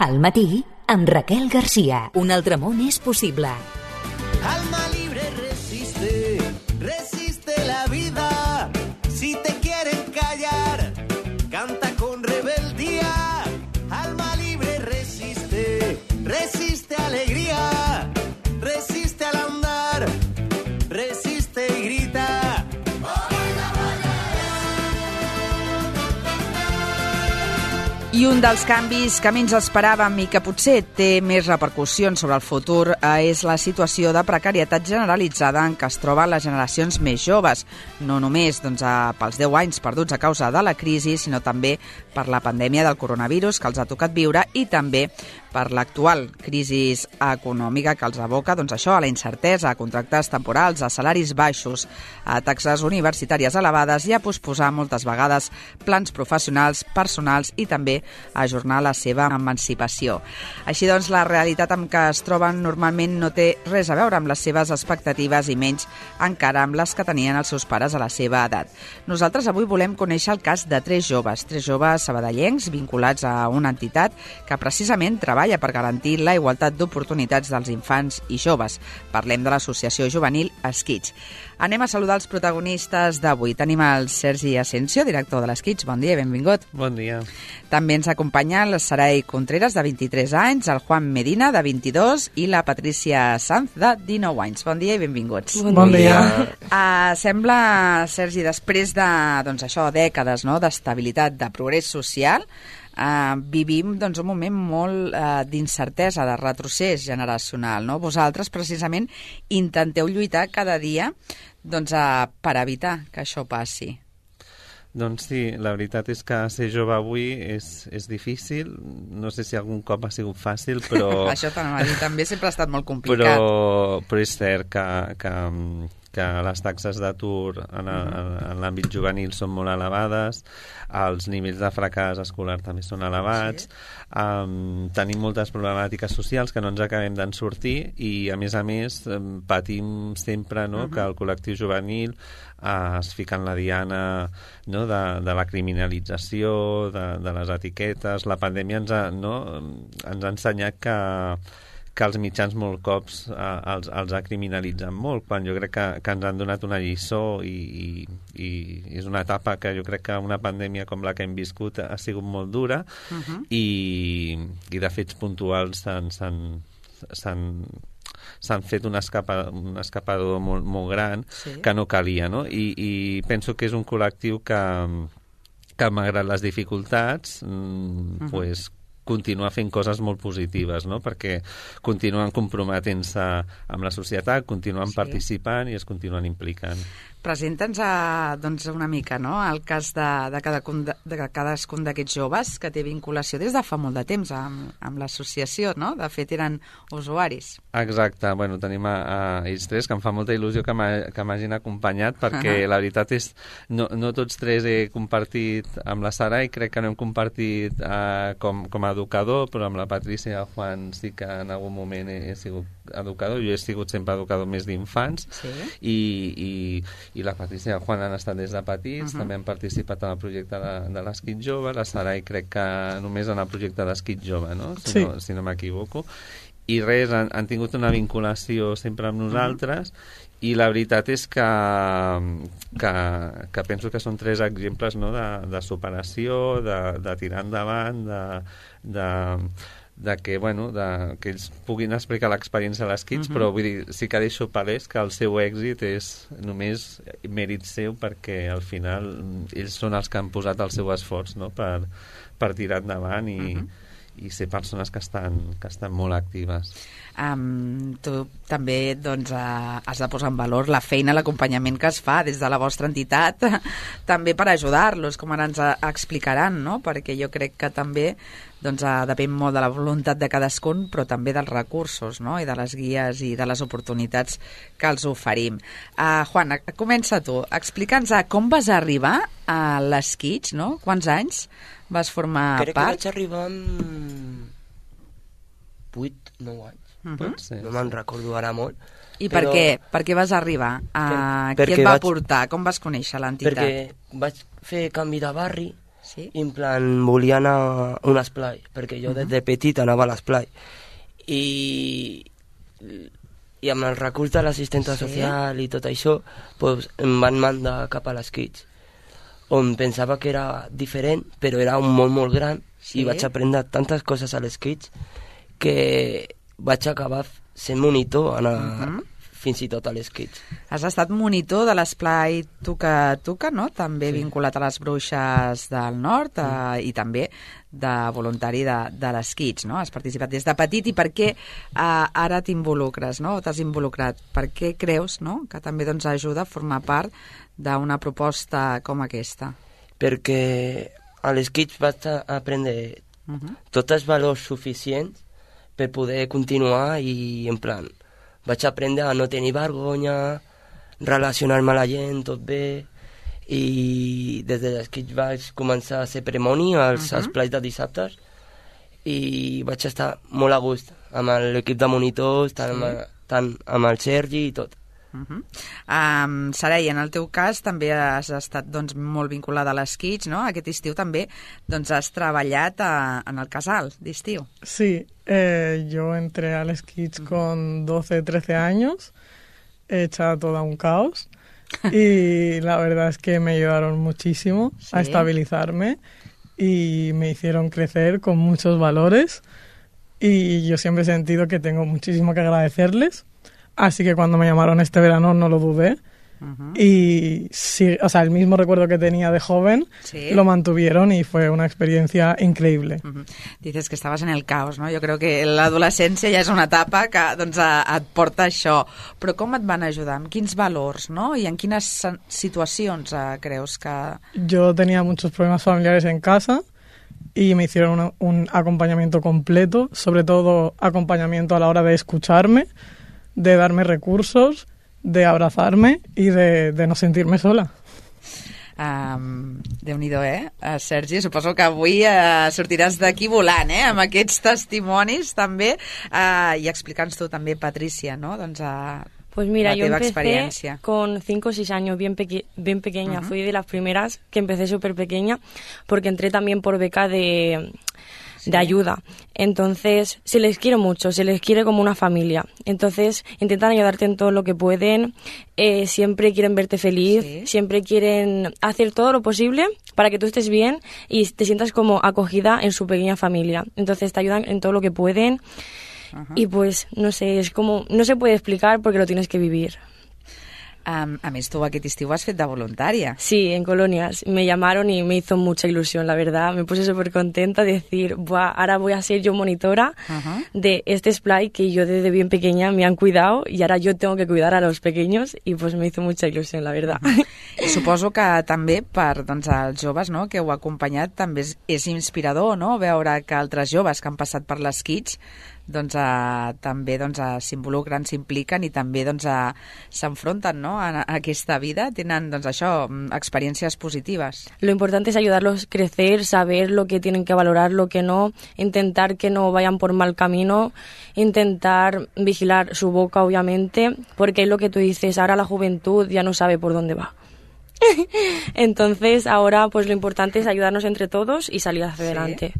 Al matí, amb Raquel García. Un altre món és possible. Alma libre resiste, resiste la vida. Si te quieren callar, canta con rebeldía. Alma libre resiste, resiste alegría. Resiste al andar, resiste y grita. I un dels canvis que menys esperàvem i que potser té més repercussions sobre el futur és la situació de precarietat generalitzada en què es troben les generacions més joves, no només pels 10 anys perduts a causa de la crisi, sinó també per la pandèmia del coronavirus que els ha tocat viure i també per l'actual crisi econòmica que els aboca a la incertesa, a contractes temporals, a salaris baixos, a taxes universitàries elevades i a posposar moltes vegades plans professionals, personals i també a ajornar la seva emancipació. Així doncs, la realitat amb què es troben normalment no té res a veure amb les seves expectatives i menys encara amb les que tenien els seus pares a la seva edat. Nosaltres avui volem conèixer el cas de tres joves sabadellencs vinculats a una entitat que precisament treballa per garantir la igualtat d'oportunitats dels infants i joves. Parlem de l'associació juvenil Esquitx. Anem a saludar els protagonistes d'avui. Tenim el Sergi Asensio, director de l'Esquitx. Bon dia, benvingut. Bon dia. També ens acompanya el Sarai Contreras, de 23 anys, el Juan Medina, de 22, i la Patricia Sanz, de 19 anys. Bon dia i benvinguts. Bon dia. Sembla, Sergi, després de dècades d'estabilitat, de progrés social, vivim un moment molt d'incertesa, de retrocés generacional. Vosaltres, precisament, intenteu lluitar cada dia per evitar que això passi. Doncs sí, la veritat és que ser jove avui és difícil. No sé si algun cop ha sigut fàcil, però... Això també sempre ha estat molt complicat. Però és cert que les taxes d'atur en l'àmbit juvenil són molt elevades, els nivells de fracàs escolar també són elevats, tenim moltes problemàtiques socials que no ens acabem d'en sortir i, a més, patim sempre que el col·lectiu juvenil es fica en la diana de la criminalització, de les etiquetes. La pandèmia ens ha ensenyat que els mitjans molt cops els ha criminalitzat molt, quan jo crec que ens han donat una lliçó i és una etapa que jo crec que una pandèmia com la que hem viscut ha sigut molt dura i de fets puntuals s'han fet un escapador molt gran que no calia, no? I penso que és un col·lectiu que malgrat les dificultats continua fent coses molt positives, perquè continuen comprometent-se amb la societat, continuen participant i es continuen implicant. Presenta'ns una mica el cas de cadascun d'aquests joves que té vinculació des de fa molt de temps amb l'associació, no? De fet, eren usuaris. Exacte. Bueno, tenim a ells tres, que em fa molta il·lusió que m'hagin acompanyat, perquè la veritat és no tots tres he compartit amb la Sara i crec que no hem compartit com a educador, però amb la Patricia i el Juan sí que en algun moment he sigut educador. Jo he sigut sempre educador més d'infants i la Patricia i el Juan han estat des de petits, també han participat en el projecte de l'Esquitx Jove, la Sarai crec que només en el projecte d'Esquitx Jove, no? Si no m'equivoco. I res, han tingut una vinculació sempre amb nosaltres i la veritat és que penso que són tres exemples de superació, de tirar endavant, que ells puguin explicar l'experiència de l'Esquitx, però vull dir, sí que deixo palès que el seu èxit és només mèrit seu, perquè al final ells són els que han posat el seu esforç per tirar endavant i ser persones que estan molt actives. Tu també has de posar en valor la feina, l'acompanyament que es fa des de la vostra entitat, també per ajudar-los, com ara ens explicaran, no? Perquè jo crec que també depèn molt de la voluntat de cadascun, però també dels recursos, no? I de les guies i de les oportunitats que els oferim. Juan, comença tu. Explica'ns com vas arribar a l'Esquitx, no? Quants anys vas formar part? Crec que vaig arribar amb 8-9 anys. No me'n recordo ara molt. I per què? Per què vas arribar? Qui et va portar? Com vas conèixer l'entitat? Perquè vaig fer canvi de barri Sí. I en plan volia anar a un esplai, perquè jo des de petit anava a l'esplai. I amb el recurs de l'assistenta social i tot això, pues, em van mandar cap a les Kids, on pensava que era diferent, però era un món molt gran, i vaig aprendre tantes coses a les Kids que vaig acabar sent monitor fins i tot a les Kids. Has estat monitor de l'esplai Tuca Tuca, no? També vinculat a les Bruixes del Nord i també de voluntari de les Kids, no? Has participat des de petit i per què ara t'involucres, no? O t'has involucrat? Per què creus, no?, que també doncs, ajuda a formar part d'una proposta com aquesta? Perquè a les Kids vaig aprendre tots els valors suficients per poder continuar i en plan vaig aprendre a no tenir vergonya, relacionar-me amb la gent, tot bé, i des de les Kids vaig començar a ser premoni als esplais de dissabtes i vaig estar molt a gust amb l'equip de monitors, tant amb el Sergi i tot. Sarai, en el teu cas també has estat doncs, molt vinculada a les Kids, no? Aquest estiu també doncs, has treballat en el casal d'estiu. Sí, yo entré a las Kids con 12, 13 años, hecha toda un caos, y la verdad es que me ayudaron muchísimo a estabilizarme y me hicieron crecer con muchos valores, y yo siempre he sentido que tengo muchísimo que agradecerles. Así que cuando me llamaron este verano no lo dudé. Y sí, o sea, el mismo recuerdo que tenía de joven lo mantuvieron y fue una experiencia increíble. Dices que estaves en el caos, no? Jo crec que l'adolescència ja és una etapa que doncs, et porta això. Però com et van ajudar? Amb quins valors, no? I en quines situacions creus que... Yo tenía muchos problemas familiares en casa y me hicieron un acompañamiento completo, sobre todo acompañamiento a la hora de escucharme, de darme recursos, de abrazarme y de no sentirme sola. Déu-n'hi-do, Sergi? Suposo que avui sortiràs d'aquí volant, amb aquests testimonis també, i explica'ns tu també, Patricia, no? Doncs, pues mira, yo empecé experiencia. Con 5 o 6 años, bien pequeña. Fui de las primeras que empecé súper pequeña, porque entré también por beca de ayuda. Entonces, se les quiere mucho, se les quiere como una familia. Entonces, intentan ayudarte en todo lo que pueden, siempre quieren verte feliz, siempre quieren hacer todo lo posible para que tú estés bien y te sientas como acogida en su pequeña familia. Entonces, te ayudan en todo lo que pueden y pues, no sé, es como, no se puede explicar porque lo tienes que vivir. A més, tu aquest estiu has fet de voluntària. Sí, en colonias. Me llamaron y me hizo mucha ilusión, la verdad. Me puse súper contenta de decir, buah, ahora voy a ser yo monitora de este splai que yo desde bien pequeña me han cuidado y ahora yo tengo que cuidar a los pequeños y pues me hizo mucha ilusión, la verdad. I suposo que també per doncs, els joves, no?, que heu acompanyat també és inspirador, no?, veure que altres joves que han passat per les Kids doncs, també doncs, s'involucren, s'impliquen i també doncs, s'enfronten, no?, a aquesta vida, tenen doncs, això, experiències positives. Lo importante es ayudarlos a crecer, saber lo que tienen que valorar, lo que no, intentar que no vayan por mal camino, intentar vigilar su boca, obviamente, porque es lo que tú dices, ahora la juventud ya no sabe por dónde va. Entonces, ahora pues lo importante es ayudarnos entre todos y salir hacia adelante.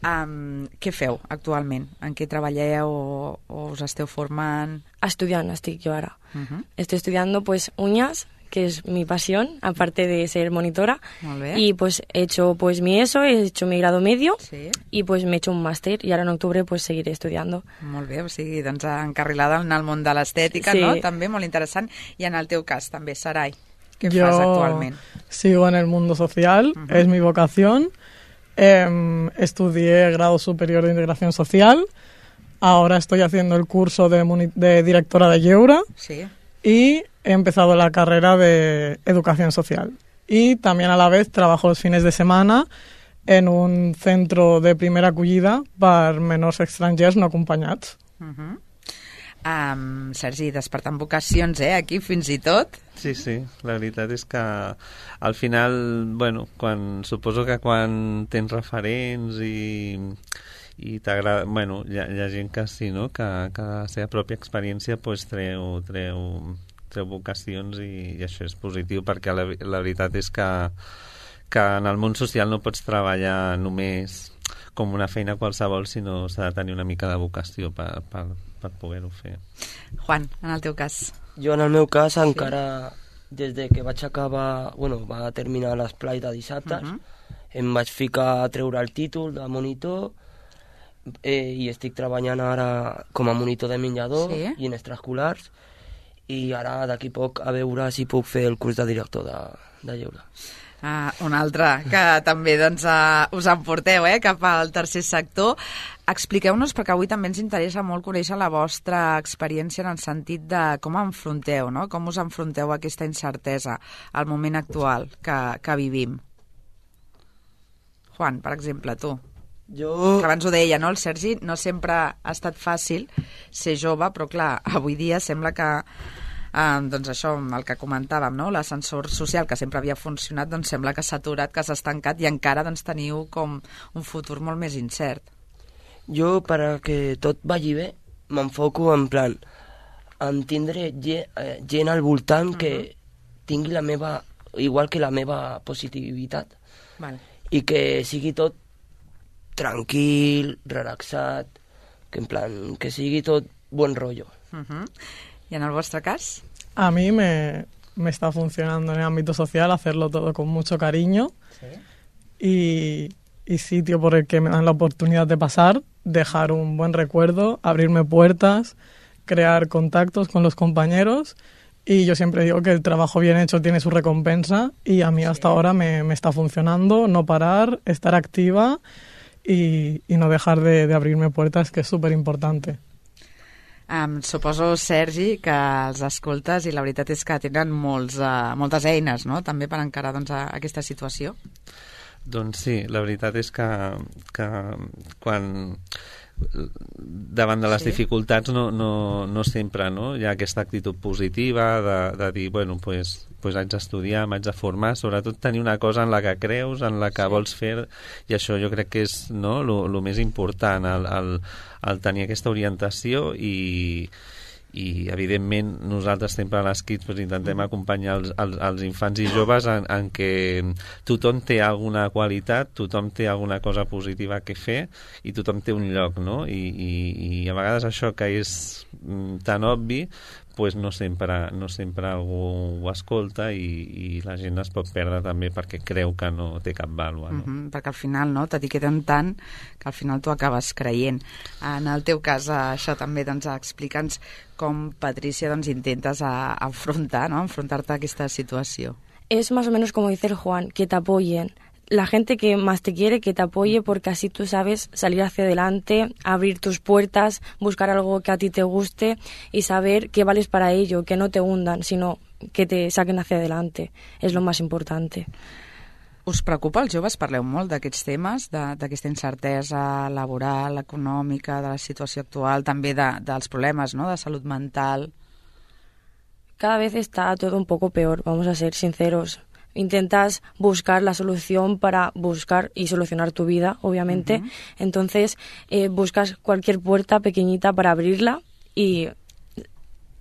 Què feu actualment? En què treballeu o us esteu formant? Estudiant estic jo ara. Estoy estudiando pues uñas, que es mi pasión, aparte de ser monitora. Y pues he hecho pues mi ESO, he hecho mi grado medio y pues me he hecho un máster y ahora en octubre pues seguiré estudiando. Molt bé, o sigui, doncs encarrilada en el món de l'estètica, no? També molt interessant. I en el teu cas també, Sarai, ¿qué fas actualment? Sigo en el mundo social, es mi vocación. Estudié grado superior de integración social. Ahora estoy haciendo el curso de directora de Yeura. Y he empezado la carrera de educación social. Y también a la vez trabajo los fines de semana en un centro de primera acollida per menors estrangers no acompanyats. Sergi, despertant vocacions, aquí fins i tot. Sí, la veritat és que al final, bueno, suposo que quan tens referents i t'agrada, bueno, hi ha gent que sí, no?, que la seva pròpia experiència pues, treu vocacions i això és positiu perquè la veritat és que que en el món social no pots treballar només com una feina qualsevol, sinó s'ha de tenir una mica de vocació per poder-ho fer. Juan, en el teu cas. Jo, en el meu cas, encara des de que vaig acabar, va terminar l'esplai de dissabtes, em vaig ficar a treure el títol de monitor i estic treballant ara com a monitor de menjador i en extraescolars, i ara d'aquí poc a veure si puc fer el curs de director de lleure. Un altre que també doncs, us emporteu cap al tercer sector. Expliqueu-nos, perquè avui també ens interessa molt conèixer la vostra experiència en el sentit de com enfronteu, no? Com us enfronteu a aquesta incertesa al moment actual que vivim. Juan, per exemple, tu. Jo... Que abans ho deia, no? El Sergi no sempre ha estat fàcil ser jove, però clar, avui dia sembla que doncs això, el que comentàvem, no? L'ascensor social que sempre havia funcionat, doncs sembla que s'ha aturat, que s'ha estancat i encara doncs, teniu com un futur molt més incert. Jo, perquè tot vagi bé, m'enfoco en plan en tindre gent al voltant que tingui la meva, igual que la meva positivitat, i que sigui tot tranquil, relaxat, que en plan, que sigui tot buen rollo. ¿Y en el vuestro caso? A mí me está funcionando en el ámbito social hacerlo todo con mucho cariño y sitio por el que me dan la oportunidad de pasar, dejar un buen recuerdo, abrirme puertas, crear contactos con los compañeros, y yo siempre digo que el trabajo bien hecho tiene su recompensa, y a mí hasta ahora me está funcionando, no parar, estar activa y no dejar de abrirme puertas, que es súper importante. Suposo, Sergi, que els escoltes i la veritat és que tenen moltes eines, no?, també per encarar doncs, aquesta situació. Doncs sí, la veritat és que quan davant de les dificultats no sempre hi ha aquesta actitud positiva de dir, bueno, pues haig d'estudiar, m'haig de formar, sobretot tenir una cosa en la que creus, en la que vols fer, i això jo crec que és el més important, el tenir aquesta orientació i evidentment nosaltres sempre a les Kids intentem acompanyar els infants i joves en què tothom té alguna qualitat, tothom té alguna cosa positiva que fer i tothom té un lloc, no? I a vegades això que és tan obvi pues no sempre algú ho escolta i la gent es pot perdre també perquè creu que no té cap vàlua, no? Perquè al final t'etiqueten tant que al final tu acabes creient. En el teu cas, això també, doncs, explica'ns com, Patricia, doncs, intentes enfrontar-te a aquesta situació. Es más o menos como dice el Juan, que te apoyen. La gente que más te quiere, que te apoye, porque así tú sabes salir hacia adelante, abrir tus puertas, buscar algo que a ti te guste y saber que vales para ello, que no te hundan, sino que te saquen hacia adelante. Es lo más importante. Us preocupa, els joves? Parleu molt d'aquests temes, d'aquesta incertesa laboral, econòmica, de la situació actual, també dels problemes, no?, de salut mental. Cada vez está todo un poco peor, vamos a ser sinceros. Intentas buscar la solución para buscar y solucionar tu vida, obviamente. Entonces, buscas cualquier puerta pequeñita para abrirla y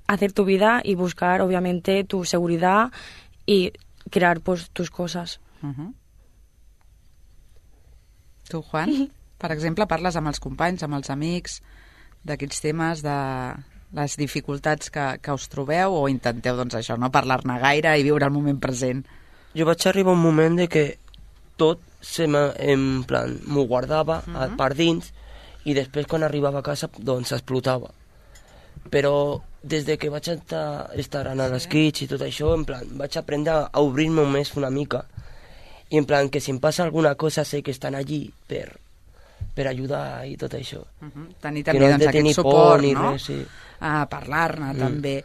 hacer tu vida y buscar, obviamente, tu seguridad y crear, pues, tus cosas. Tu, Juan, per exemple, parles amb els companys, amb els amics, d'aquests temes, de les dificultats que us trobeu, o intenteu, doncs, això, no parlar-ne gaire i viure el moment present? Jo vaig arribar a un moment de que tot en plan m'ho guardava per dins i després quan arribava a casa doncs explotava. Però des de que vaig estar a les Kids i tot això, en plan, vaig aprendre a obrir-me més una mica i en plan que si em passa alguna cosa sé que estan allí per ajudar i tot això. Tenir també doncs, aquest suport, no? Res, sí. Parlar-ne també.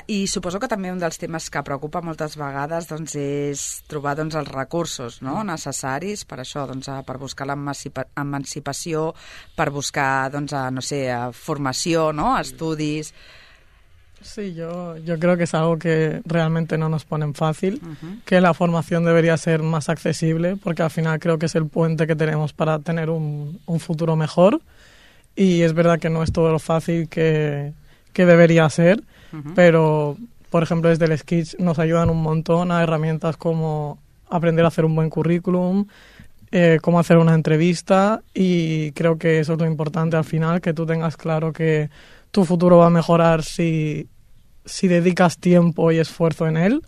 I suposo que també un dels temes que preocupa moltes vegades doncs, és trobar doncs, els recursos, no?, necessaris per això, doncs, per buscar l'emancipació, per buscar doncs, no sé, formació, no?, estudis. Sí, yo creo que es algo que realmente no nos ponen fácil, que la formación debería ser más accesible, porque al final creo que es el puente que tenemos para tener un futuro mejor, y es verdad que no es todo lo fácil que debería ser, pero, por ejemplo, desde el Kids nos ayudan un montón a herramientas como aprender a hacer un buen currículum, cómo hacer una entrevista, y creo que eso es lo importante al final, que tú tengas claro que tu futuro va a mejorar si dedicas tiempo y esfuerzo en él,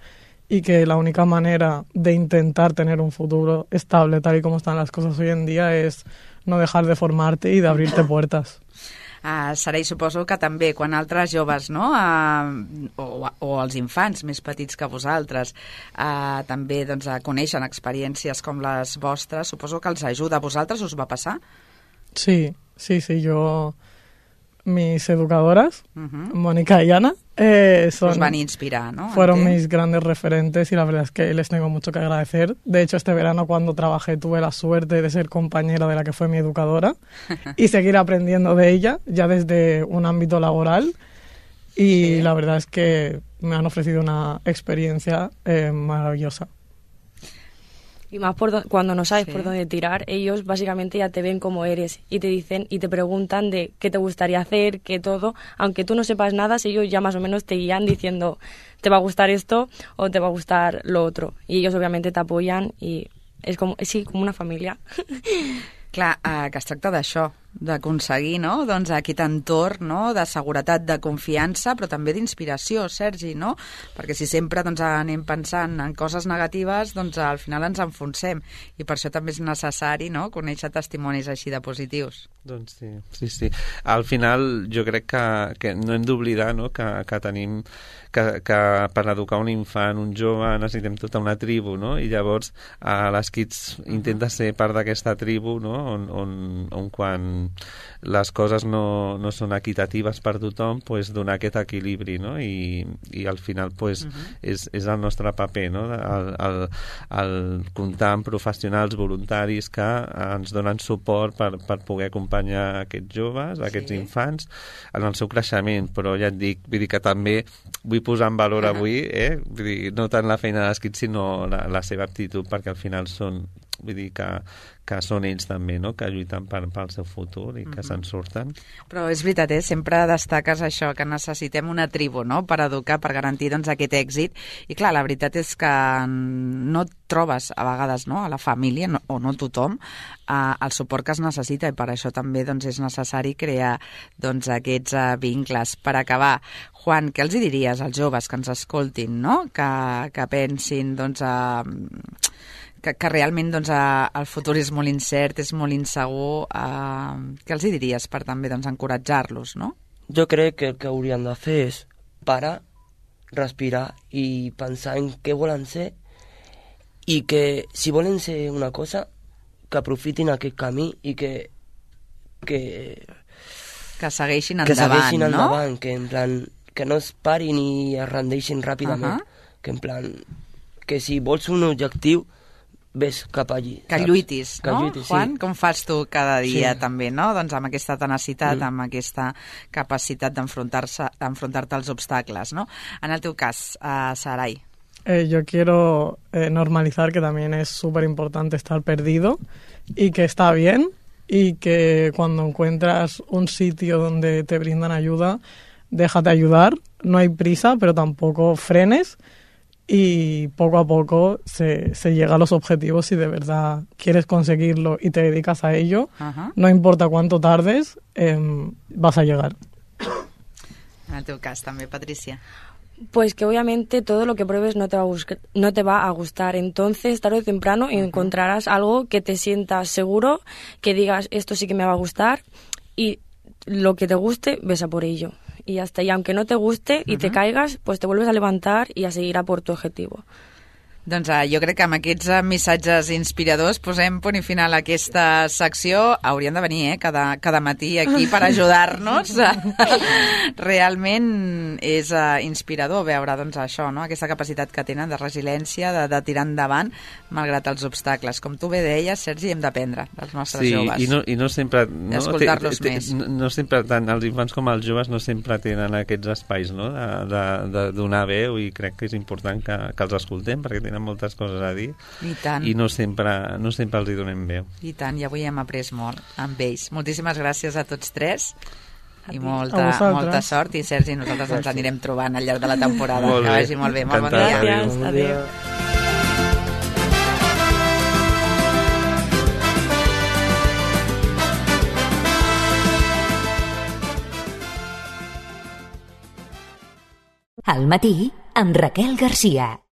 y que la única manera de intentar tener un futuro estable tal y como están las cosas hoy en día és no dejar de formarte i d'obrir-te puertas. Sarai, suposo que també quan altres joves, no? O els infants més petits que vosaltres també doncs, coneixen experiències com les vostres, suposo que els ajuda. A vosaltres us va passar? Sí, yo... Mis educadoras, Mónica y Ana, os van a inspirar, ¿no? Fueron mis grandes referentes y la verdad es que les tengo mucho que agradecer. De hecho, este verano cuando trabajé tuve la suerte de ser compañera de la que fue mi educadora y seguir aprendiendo de ella ya desde un ámbito laboral. Y la verdad es que me han ofrecido una experiencia maravillosa. Y más cuando no sabes por dónde tirar, ellos básicamente ya te ven como eres y te dicen y te preguntan de qué te gustaría hacer, qué todo. Aunque tú no sepas nada, ellos ya más o menos te guían diciendo te va a gustar esto o te va a gustar lo otro. Y ellos obviamente te apoyan y es como, sí, como una familia. Clar, que es tracta d'això, d'aconseguir, no?, doncs aquest entorn, no?, de seguretat, de confiança, però també d'inspiració, Sergi, no? Perquè si sempre doncs, anem pensant en coses negatives, doncs al final ens enfonsem, i per això també és necessari, no?, conèixer testimonis així de positius. Doncs sí. Al final jo crec que no hem d'oblidar, no?, que tenim que per educar un infant, un jove, necessitem tota una tribu, no?, i llavors les Kids intenta ser part d'aquesta tribu, no?, on quan les coses no són equitatives per tothom, pues, donar aquest equilibri, no?, i al final pues, és el nostre paper, no?, el comptar amb professionals voluntaris que ens donen suport per poder acompanyar aquests joves, aquests infants, en el seu creixement. Però ja et dic, vull dir que també vull posar en valor avui, vull dir, no tant la feina dels Kids, sinó la seva aptitud, perquè al final són, vull dir que són ells també, no?, que lluiten pel seu futur i que se'n surten. Però és veritat, sempre destaques això, que necessitem una tribu, no?, per educar, per garantir doncs, aquest èxit. I clar, la veritat és que no et trobes a vegades, no?, a la família, o no tothom, el suport que es necessita, i per això també doncs, és necessari crear doncs, aquests vincles. Per acabar, Juan, què els diries als joves que ens escoltin, no?, que pensin doncs, que realment doncs, el futur és molt incert, és molt insegur, què els diries per també doncs, encoratjar-los, no? Jo crec que el que haurien de fer és parar, respirar i pensar en què volen ser, i que si volen ser una cosa, que aprofitin aquest camí i que segueixin endavant, que en plan que no es parin i es rendeixin ràpidament, que en plan que si vols un objectiu ves cap allí. Que lluitis, no, lluitis, Juan? sí. Com fas tu cada dia també, no? Doncs amb aquesta tenacitat, amb aquesta capacitat d'enfrontar-te als obstacles, no? En el teu cas, Sarai. Yo quiero normalizar que también es súper importante estar perdido y que está bien, y que cuando encuentras un sitio donde te brindan ayuda, déjate ayudar, no hay prisa, pero tampoco frenes, y poco a poco se llega a los objetivos si de verdad quieres conseguirlo y te dedicas a ello. No importa cuánto tardes, vas a llegar. En el teu cas també, Patricia. Pues que obviamente todo lo que pruebes no te va a gustar. Entonces, tarde o temprano encontrarás algo que te sientas seguro, que digas, esto sí que me va a gustar, y lo que te guste, ves a por ello. Y hasta ahí, aunque no te guste y te caigas, pues te vuelves a levantar y a seguir a por tu objetivo. Doncs jo crec que amb aquests missatges inspiradors posem punt i final a aquesta secció. Haurien de venir cada matí aquí per ajudar-nos. Realment és inspirador veure doncs, això, no? Aquesta capacitat que tenen de resiliència, de tirar endavant malgrat els obstacles. Com tu bé deies, Sergi, hem d'aprendre dels nostres joves. I no sempre... D'escoltar-los més. No sempre, tant els infants com els joves no sempre tenen aquests espais, no? de donar veu, i crec que és important que els escoltem, perquè tenen moltes coses a dir. I tant. I no sempre els hi donem veu. I tant, i avui hem après molt amb ells. Moltíssimes gràcies a tots tres. I molta sort. I Sergi, nosaltres ens anirem trobant al llarg de la temporada. Que vagi molt bé. Molt bon dia. Gràcies. Adéu. Al matí, amb Raquel Garcia.